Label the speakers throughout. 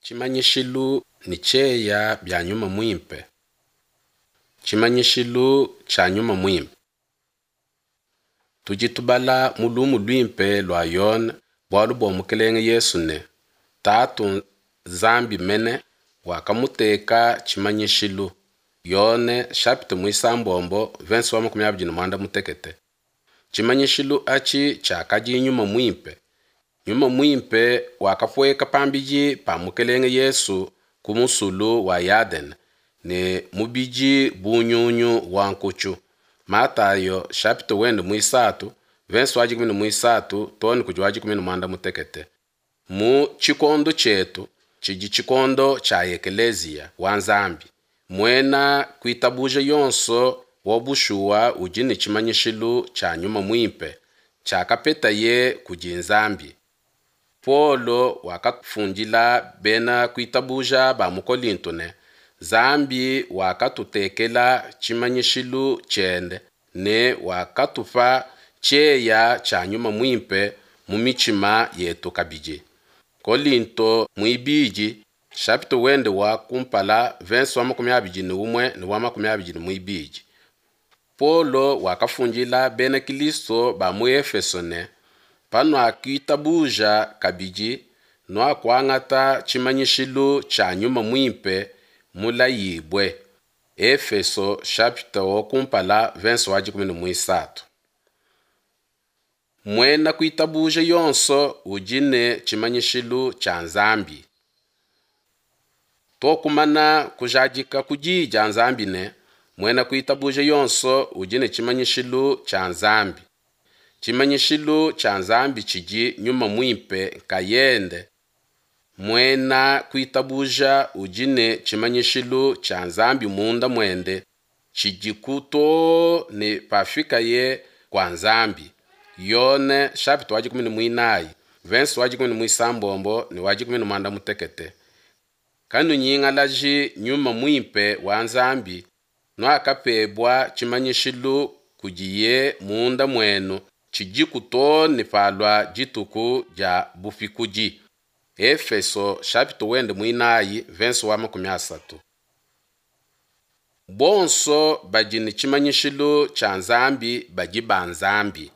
Speaker 1: Tshimanyishilu ne tshieya bia Nyuma Muimpe. Tshimanyishilu tshia Nyuma Muimpe. Tudi tubala mu lumu luimpe lua Yone bualu bua Mukelenge Yesu ne, Tatu Nzambi mene wakamuteka tshimanyishilu. Yone chapitre muisambombo verse wa 25. Tshimanyishilu atshi tshiakadi Nyuma Muimpe. Nyuma Muimpe wakapueka pambidi pa Mukelenge Yesu ku musulu wa Yadene ne mubidi bu nyunyu wa nkutshu. Matayo chapitre wende muisatu verse wa 13 too ne kudi wa 16. Mu tshikondo tshietu tshidi tshikondo tshia ekeleziya wa Nzambi, muena kuitabuja yonso wa bushuwa udi ne tshimanyishilu tshia Nyuma Muimpe tshiakapetaye kudi Nzambi. Paulo wakafundila bena kuitabuja ba mu Kolinto ne, Nzambi wakatutekela tshimanyishilu tshiende ne wakatupa tshieya tshia Nyuma Muimpe mu mitshima yetu kabidi. Kolinto muibidi chapitre wende wa kumpala verse wa 21 ne wa 22. Paulo wakafundila bena Kilisto ba mu Efeso ne, panuakitabuja kabidi nuakuangata tshimanyishilu tshia Nyuma Muimpe mulayibue. Efeso chapitre wa kumpala verse wa 13. Muena kuitabuja yonso udi ne tshimanyishilu tshia Nzambi. Tokumana kujadika ku diyi dia Nzambi ne, muena kuitabuja yonso udi ne tshimanyishilu tshia Nzambi. Tshimanyishilu tshia Nzambi tshidi Nyuma Muimpe nkayende. Muena kuitabuja udi ne tshimanyishilu tshia Nzambi munda muende tshidiku too ne pafikaye kua Nzambi. Yone chapitre wa 14 verse wa 16 ne wa 16. Kanunyingalaji Nyuma Muimpe wa Nzambi nuakapebua tshimanyishilu kudiye munda muenu tshidiku too ne palua dituku dia bupikudi. Efeso chapitre wende muinayi verse wa 30. Bonso badi ne tshimanyishilu tshia Nzambi badi ba Nzambi.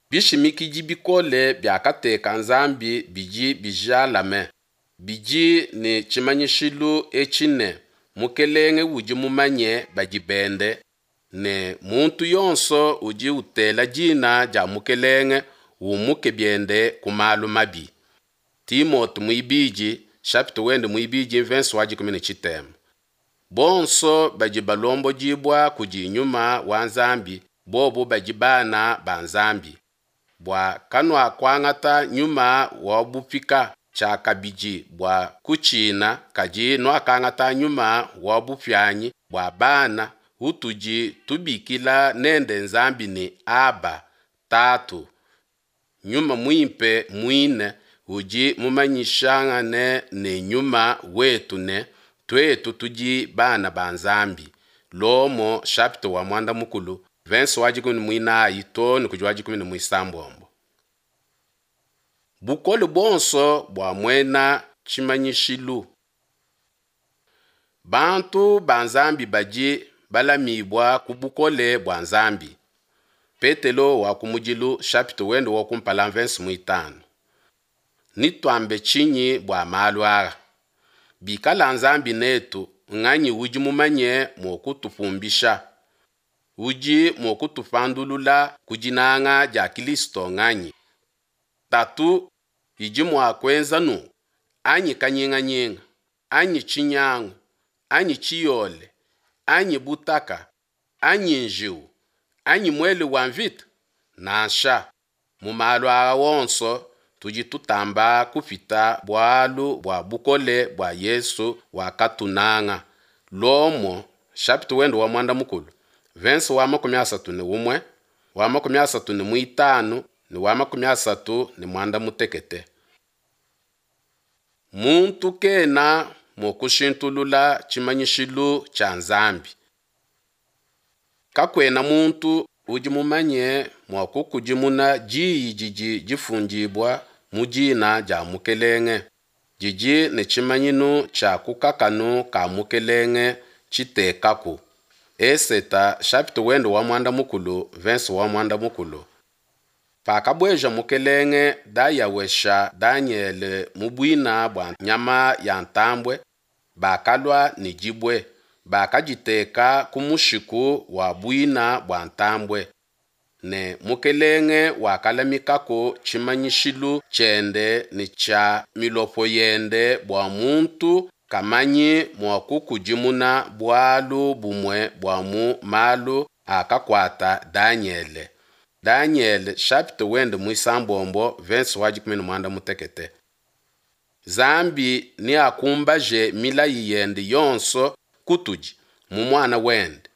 Speaker 1: Bishimikidi bikole biakateka Nzambi bidi bijalame, bidi ne tshimanyishilu etshi ne, Mukelenge udi mumanye badi bende, ne muntu yonso udi utela dina dia Mukelenge umuke biende ku malu mabi. Timote muibidi chapitre wende muibidi verse wa 13. Bonso badi balombodibua kudi Nyuma wa Nzambi, bobu badi bana ba Nzambi. Bua kanuakuangata nyuma wa bupika tshiakabidi bua kutshina, kadi nuakangata nyuma wa bupianyi bua bana utudi tubikila nende Nzambi ne Aba, Tatu. Nyuma Muimpe muine udi mumanyishangane ne nyuma wetu ne tuetu tudi bana ba Nzambi. Lomo chapitre wa mwanda mukulu verse wa 14 too ne kudi wa 16. Bukole buonso bua muena tshimanyishilu. Bantu ba Nzambi badi balamibua ku bukole bua Nzambi. Petelo wa kumudilu chapitre wende wa kumpala verse muitanu. Nituambe tshinyi bua malu aa? Bikala Nzambi netu, nganyi udi mumanye mua kutupumbisha? Udi mua kutupandulula ku dinanga dia Kilisto nganyi? Tatu idi mua kuenza nunku, anyi kanyinganyinga, anyi tshinyangu, anyi tshiyole, anyi butaka, anyi njiwu, anyi muele wa mvita? Nansha, mu malu aa wonso tudi tutamba kupita bualu bua bukole bua Yesu wakatunanga. Lomo chapitre wende wa mwanda mukulu verse wa 31 wa 35 ne wa 36. Muntu kena mua kushintulula tshimanyishilu tshia Nzambi. Kakuena muntu udi mumanye mua kukudimuna diyi didi difundibua mu dina dia Mukelenge. didi ne tshimanyinu tshia ku kakanu ka mukelenge tshitekaku. Eseta chapitre wende wa muanda mukulu verse wa muanda mukulu. Pakabueja mukelenge Dayawesha Danyele mu buina bua nyama ya ntambue, bakalua ne dibue, bakaditeka ku mushiku wa buina bua ntambue. Ne mukelenge wakalamikaku tshimanyishilu tshiende ne tshia milopo yende bua muntu kamanyi mua kukudimuna bualu bumue bua mu malu akakuata Danyele. Danyele chapitre wende muisambombo verse wa 16. Nzambi neakumbaje milayi yende yonso kutudi mu muana wende.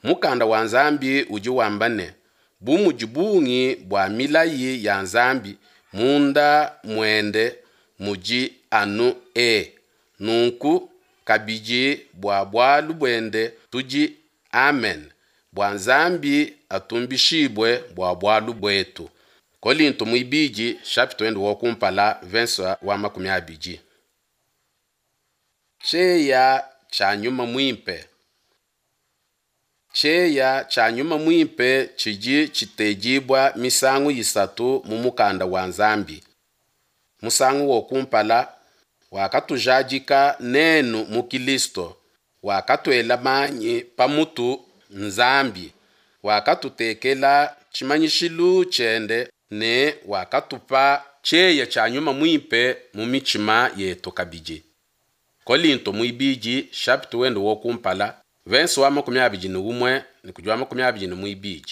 Speaker 1: Mukanda wa Nzambi udi wamba ne, bu mudi bungi bua milayi ya Nzambi munda muende mudi anu e, nunku kabidi bua bualu buende tudi Amen, bua Nzambi atumbishibue bua bualu buetu. Kolinto muibidi chapitre wende wa kumpala verse wa 20. Tshieya tshia nyuma muimpe. Tshieya tshia nyuma muimpe tshidi tshitedibua misangu isatu mu mukanda wa Nzambi. Musangu wa kumpala wakatujadika nenu mu Kilisto, wakatuela manyi pamutu Nzambi, wakatutekela tshimanyishilu tshiende ne wakatupa tshieya tshia nyuma muimpe mu mitshima yetu kabidi. Kolinto muibidi chapitre wende wa kumpala verse wa 21 ne kudi wa 22.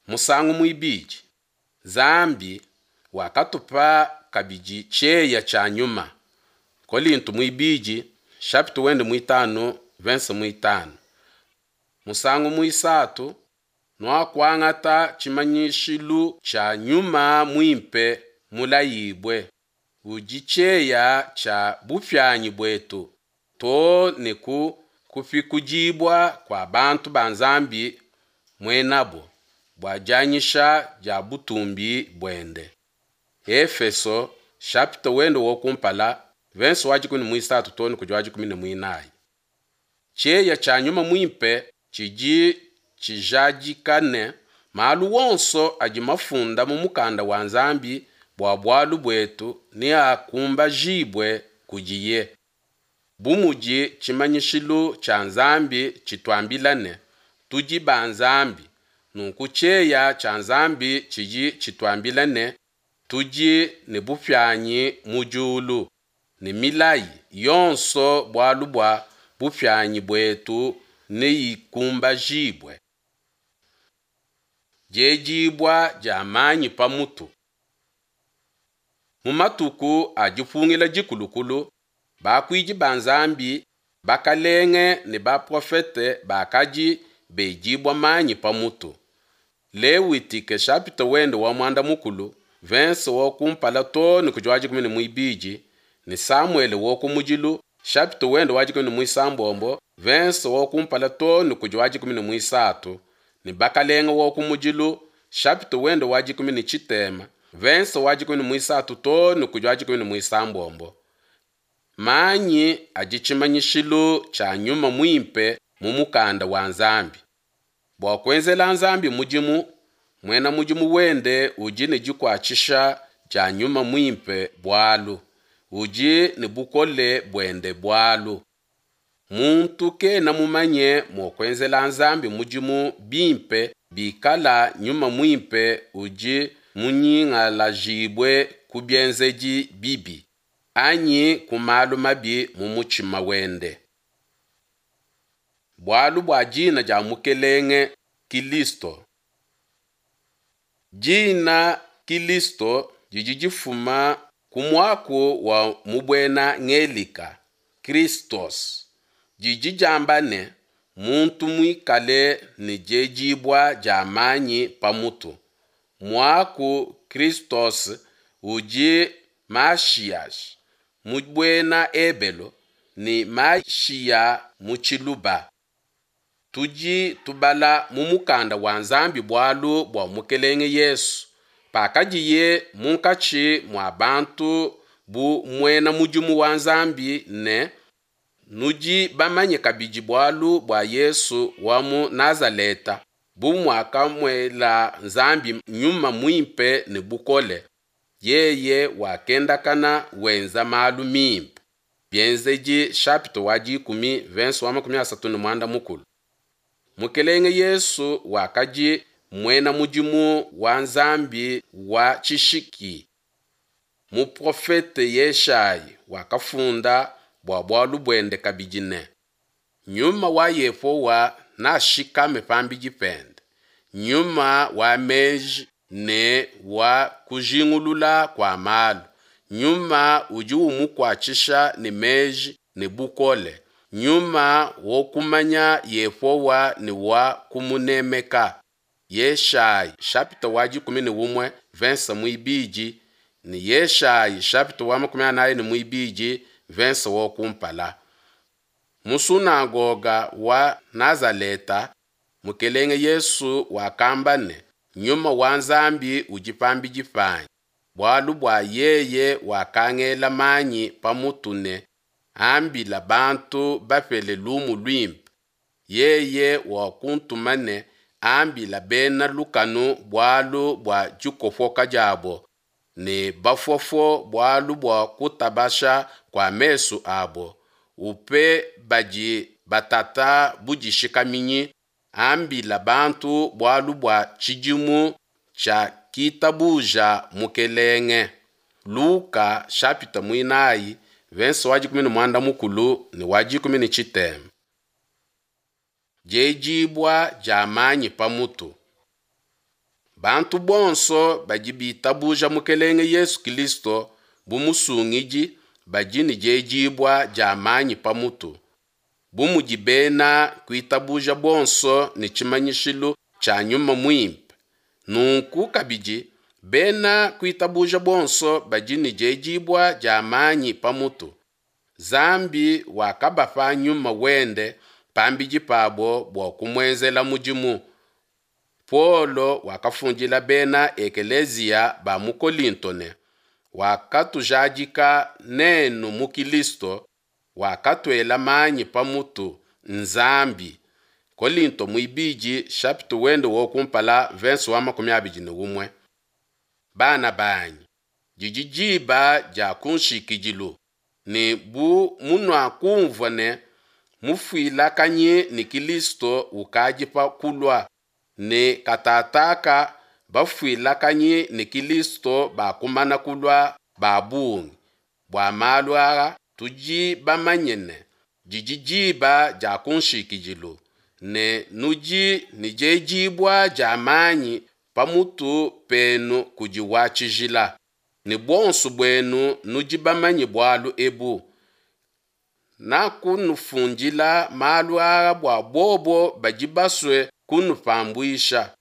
Speaker 1: Musangu muibidi Nzambi wakatupa kabidi tshieya tshia nyuma. Kolinto muibidi chapitre wende muitanu verse muitanu. Musangu muisatu nuakuangata tshimanyishilu tshia nyuma muimpe mulayibue udi tshieya tshia bupianyi buetu too ne ku kupikudibua kua bantu ba Nzambi muenabo bua dianyisha dia butumbi buende. Efeso chapitre wende wa kumpala verse wa 13 too ne kudi wa 14. Tshieya tshia nyuma muimpe tshidi tshijadika ne malu wonso adi mafunda mu mukanda wa Nzambi bua bualu buetu neakumbajibue kudiye. Bu mudi tshimanyishilu tshia Nzambi tshituambila ne, tudi ba Nzambi, nunku tshieya tshia Nzambi tshidi tshituambila ne, tudi ne bupianyi mu diulu, ne milayi yonso bualu bua bupianyi buetu neikumbajibue. Diedibua dia manyi pa mutu. Mu matuku a dipungila dikulukulu, bakuidi ba Nzambi, bakalenge ne baprofete bakadi bedibua manyi pa mutu. Lewitike chapitre wende wa muanda mukulu verse wa kumpala too ne kudi wa 12 ne Samuele wa kumudilu chapitre wende wa 16 verse wa kumpala too ne kudi wa 13 ne bakalenga wa kumudilu chapitre wende wa 17 verse wa 13 too ne kudi wa 16. Manyi adi tshimanyishilu tshia nyuma muimpe mu mukanda wa Nzambi. Bua kuenzela Nzambi mudimu, muena mudimu wende udi ne dikuatshisha dia nyuma muimpe bualu udi ne bukole buende bualu. Muntu kena mumanye mua kuenzela Nzambi mudimu bimpe bikala nyuma muimpe udi munyingalajibue ku bienzedi bibi anyi ku malu mabi mu mutshima wende. Bualu bua dina dia Mukelenge Kilisto. Dina Kilisto didi difuma ku muaku wa mu buena Ngelika Christos, didi diamba ne muntu muikale ne diedibua dia manyi pa mutu. Muaku Christos udi Mashiach mu buena Ebelo ne Mashiya mu Tshiluba. Tudi tubala mu mukanda wa Nzambi bualu bua Mukelenge Yesu pakadiye munkatshi mua bantu bu muena mudimu wa Nzambi ne, Nudi bamanye kabidi bualu bua Yesu wa mu Nazaleta, bu muakamuela Nzambi Nyuma Muimpe ne bukole, yeye wakendakana wenza malu mimpe. Bienzedi chapitre wa dikumi verse wa 34. Mukelenge Yesu wakadi muena mudimu wa Nzambi wa tshishiki. Muprofete Yeshayi wakafunda bua bualu buende kabidi ne, Nyuma wa Yehowa nashikame pambidi pende, nyuma wa meji ne wa kujingulula kua malu, nyuma udi umukuatshisha ne meji ne bukole, nyuma wa kumanya Yehowa ne wa kumunemeka. Yeshayi chapitre wa 11 verse muibidi ne Yeshayi chapitre wa 42 verse wa kumpala. Mu sunagoga wa Nazaleta, Mukelenge Yesu wakamba ne, Nyuma wa Nzambi udi pambidi panyi, bualu bua yeye wakangela manyi pamutu ne ambila bantu bapele lumu luimpe. Yeye wakuntuma ne ambila bena lukanu bualu bua dikopoka diabo, ne bafofo bualu bua kutabasha kua mesu abo, upe badi batata budishikaminyi, ambila bantu bualu bua tshidimu tshia kitabuja Mukelenge. Luka chapitre muinayi verse wa 13 ne wa 18. Diedibua dia manyi pamutu. Bantu bonso badi bitabuja Mukelenge Yesu Kilisto bu musungidi badi ne diedibua dia manyi pamutu. Bu mudi bena kuitabuja bonso ne tshimanyishilu tshia Nyuma Muimpe, nunku kabidi bena kuitabuja bonso badi ne diedibua dia manyi pamutu. Nzambi wakabapa Nyuma wende pambidi pabo bua kumuenzela mudimu. Paulo wakafundila bena ekeleziya ba mu Kolinto ne, wakatujadika nenu mu Kilisto, wakatuela manyi pamutu Nzambi. Kolinto muibidi chapitre wende wa kumpala verse wa 21. Bana banyi, didi diba dia kunshikidilu, ne bu munuakumvua ne mufuilakanyi ne Kilisto ukadi pa kulua, ne katataka bafuilakanyi ne Kilisto bakumana kulua ba bungi. Bua malu aa tudi bamanye ne, didi diba dia kunshikidilu, ne nudi ne diedibua dia manyi pamutu penu kudi wa tshijila, ne buonso buenu nudi bamanye bualu ebu. Nakunufundila malu aa bua bobo badi basue kunupambuisha.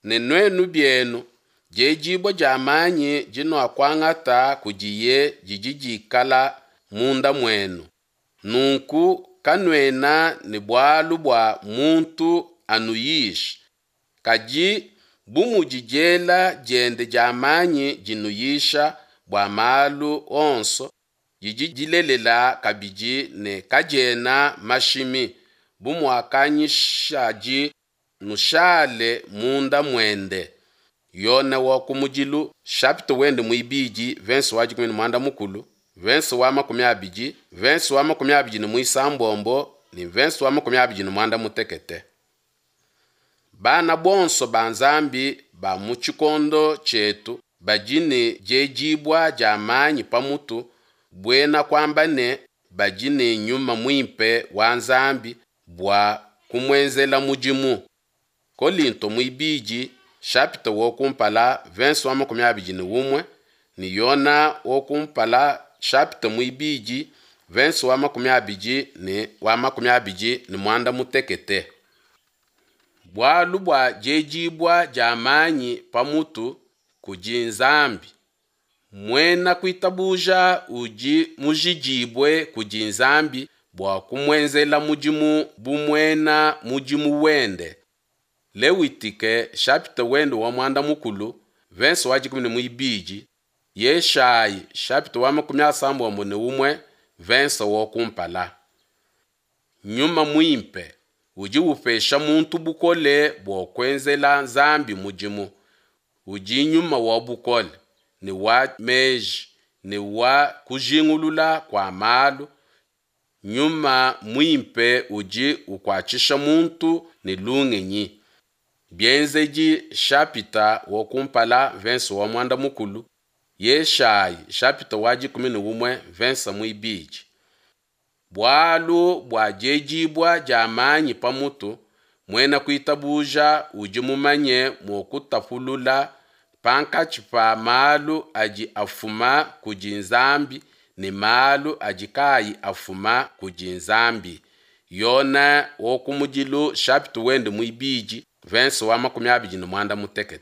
Speaker 1: Ne nuenu bienu, diedibua dia manyi dinuakuangata kudiye didi dikala munda muenu. Nunku kanuena ne bualu bua muntu anuyishe, kadi bu mudi diela diende dia manyi dinuyisha bua malu onso, didi dilelela kabidi ne kadiena mashimi, bu muakanyishadi, nushale munda muende. Yone wa kumudilu chapitre wende muibidi verse wa 13, verse wa 20, verse wa 26 ne verse wa 28. Bana bonso ba Nzambi ba mu tshikondo tshietu badi ne diedibua dia manyi pamutu, buena kuamba ne badi ne Nyuma Muimpe wa Nzambi bua kumuenzela mudimu. Kolinto muibidi chapitre wa kumpala verse wa 21 ne Yona wa kumpala chapitre muibidi verse wa 20 ne wa 28. Bualu bua diedibua dia manyi pamutu kudi Nzambi. Muena kuitabuja udi mujidibue kudi Nzambi bua kumuenzela mudimu bu muena mudimu wende. Lewitike chapitre wende wa muanda mukulu verse wa 12. Yeshayi chapitre wa 31 verse wa kumpala. Nyuma Muimpe udi upesha muntu bukole bua kuenzela Nzambi mudimu. Udi nyuma wa bukole, ne wa meji, ne wa kujingulula kua malu. Nyuma Muimpe udi ukuatshisha muntu ne lungenyi. Bienzedi chapitre wa kumpala verse wa muanda mukulu, Yeshayi chapitre wa 11 verse muibidi. Bualu bua diedibua dia manyi pa mutu, muena kuitabuja udi mumanye mua kutapulula pankatshi pa malu adi afuma kudi Nzambi ne malu adi kaayi afuma kudi Nzambi. Yone wa kumudilu chapitre wende muibidi verse wa 25.